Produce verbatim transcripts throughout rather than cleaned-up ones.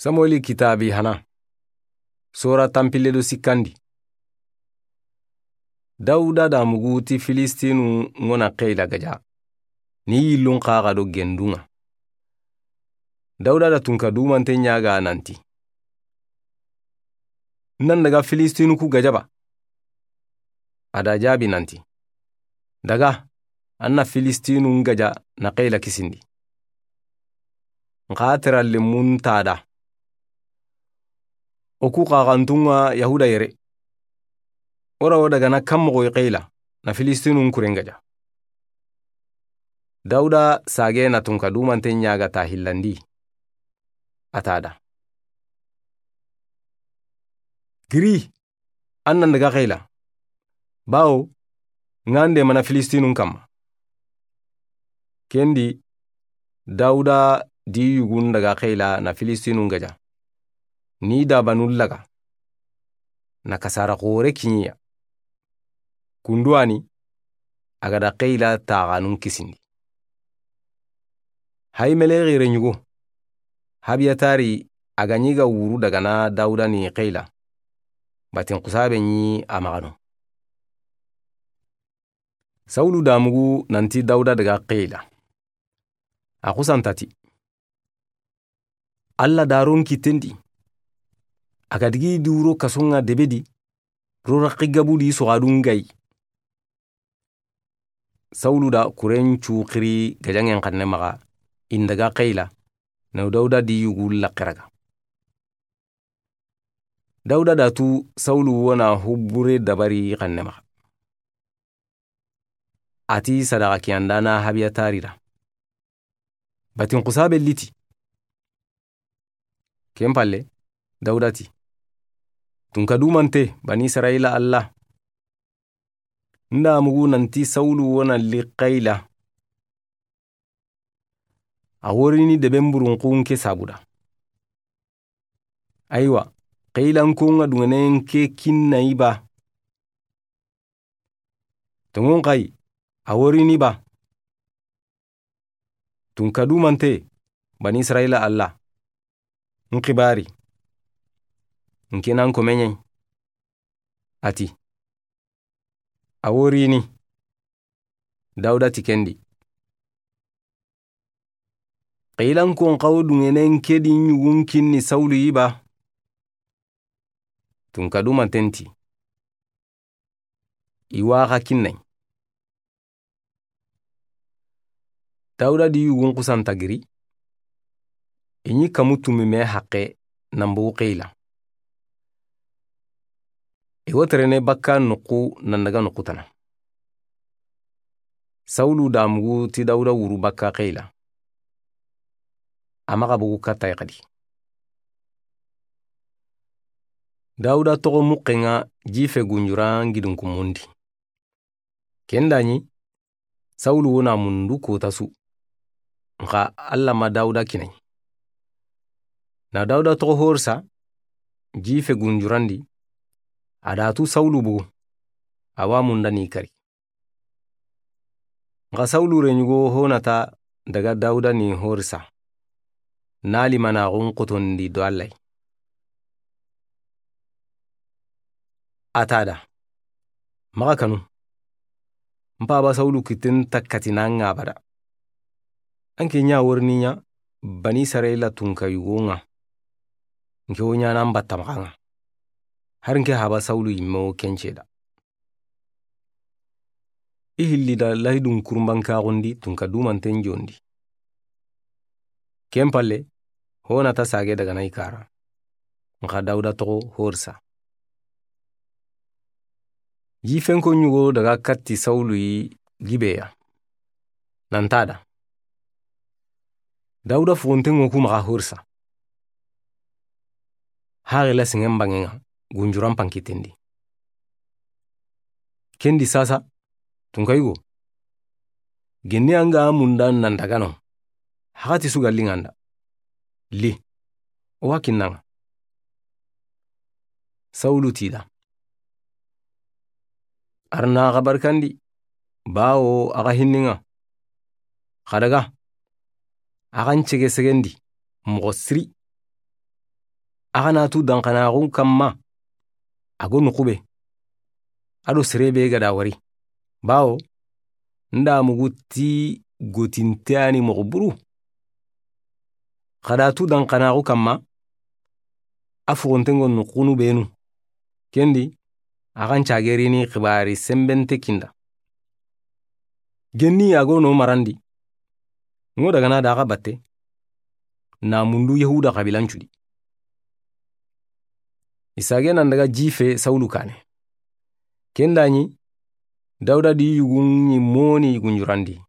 Samueli kitaabi hana. Sora tanpille do sikkandi. Dawuda da mugu ti Filistinu ŋa na Xeyila gaja, ni yillun xaxa do gendu ŋa. Dawuda da tunka dumante ɲaga nanti: "N nan daga Filistinu ku gaja ba?" A da jaabi nanti: "Daga, an na Filistinu n gaja na Xeyila kisindi. N xa tera lemun ta da. O ku xaxantu ŋa Yahuda yere. O ra wo daga na kan moxo yi Xeyila na Filistinu n kuren gaja?" Dawuda sage na tunka dumante ɲaga ta hillandi. A ta da: "Giri, an nan daga Xeyila, bawo ŋa n de mana Filistinun kamma." Kendi Dawuda di yugun daga Xeyila na Filistinun gaja, ni dabanun laga, na kasara xore kiɲiya. Kunduwani, a ga da Xeyila taxanun kisindi. Hayi mele xire ɲugo, Habiyatari, a ga ɲi ga wuru daga na Dawuda ni Xeyila, batin xusabe ɲi a maxano. Sawulu da mugu nanti Dawuda daga Xeyila. A xusanta ti: "Alla daron kitendi, a ga digi di wuro kason ŋa debedi, ro raqi gabudi soxadun gayi." Sawulu da kuren cu xiri gajaŋen xanne maxa, i n daga Xeyila, na Dawuda di yugu laxiraga. Dawuda da tu Sawulu wo na hubure dabari xanne maxa. A ti sadaxa kiyandana Habiyatari da: "Batin xusabe liti." Ken palle, Dawuda ti: "Tunka dumante, Bani Israyila Alla, n da mugu nanti Sawulu wo na li Xeyila. A worini deben burunxun ke sabuda. Aywa, Xeyilankon ŋa duŋenen ke kinna i ba? Toŋon xayi, a worini ba? Tunka dumante, Bani Israyila Alla, n xibari, n ke nan ko meɲen." A ti: "A worini." Dawuda ti kendi: "Xeyilankon xa wo duŋenen ke di ɲugun kinni Sawulu yi ba?" Tunka dumanten ti: "I wa xa kinnay." Dawuda di yugun xusanta giri, i ɲi kamu tumi me haqe nan bogu Xeyila. I wo terene bakka nuxu nan daga nuxu tana. Sawulu da mugu ti Dawuda wuru bakka Xeyila. A maxa bogu katta yi xadi. Dawuda toxo muxen ŋa jife gunjuran gidin kumundi. Ken da ɲi, Sawulu wo na mundu kota su. Nxa Alla ma Dawuda kinayi. Na Dawuda toxo horisa, jife gunjurandi, a da tu Sawulu bogu, a wa munda ni kari. Nxa Sawulu reɲugo Honata daga Dawuda ni horisa, na limanaxun xotondi do Alla yi. A ta da: "Maxa kanu, n paba Sawulu kitten ta kati na ŋa abada. An ke ɲa worini ɲa Bani Israyila tunka yugo ŋa, n ke wo ɲana n batta maxa ŋa. Hari n ke haba Sawulu yimme wo ken ceda." I hilli da lahidun kurumbankaxundi tunka dumanten jondi. Ken palle, Honata sage daga na i kara. Nxa Dawuda toxo horisa. Jifenko ɲugo daga katti Sawulu yi Gibeya. Nan ta da: "Dawuda fuxunten ŋo ku maxa horisa. Haxila singen bangen ŋa gunjuran pankitendi. Kendi sasa, tunka yugo, genni an ga munda nan daga no, haxati su ga li ŋa n da. Li, o wa kinna ŋa." Sawulu ti da: "Arna xa barikandi, bawo axa hinni ŋa. Xa daga, axa n cege segendi moxo siri. Axa na tu danxanaxun kanma, a go noxu be, a do sere be ga da wari. Bawo n da mugu ti gotinte ya ni moxo buru. Xa da tu danxanaxu kanma, a fuxunten go noxunu benu. Ken di, axa n cagerini xibari senbente kinda. Genni a go no marandi, n go dagana da axa batte, na mundu Yahuda xabilan cudi. I sage nan daga jife Sawulu kane. Ken da ɲi, Dawuda di yugun ɲi moni gunjurandi.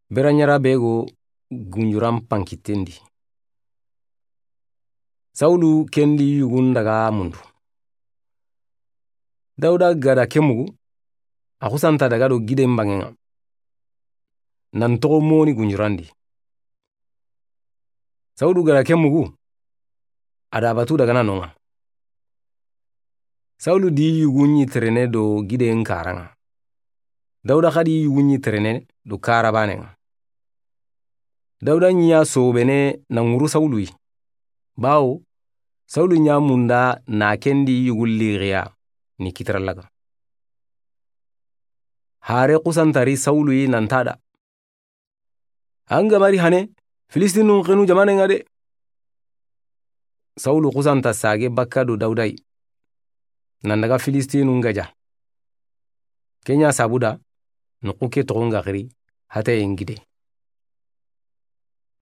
Bera ɲara be go gunjuran pankitten di. Sawulu ken di yugun daga mundu. Dawuda ga da ke mugu, a xusanta daga do giden banŋen ŋa. Nan toxo moni gunjurandi. Sawulu ga da ke mugu, a da batu dagana no ŋa. Sawulu di yugun ɲi terene do giden karan ŋa. Dawuda xadi yugun ɲi terene do kara banen ŋa. Dawuda ɲi ya sobene na ŋuru Sawulu yi. Bawo Sawulu ɲa munda na ken di yugun lixiya ni kitara laga. Hare xusantari Sawulu yi nan ta da. An ga mari hane, Filistinun xenu jamanen ŋa de. Sawulu xusanta sage bakka do Dawuda yi. Nan daga Filistinun gaja. Ken ɲa sabu da, noxu ke toxon ga xiri, hatayen gide.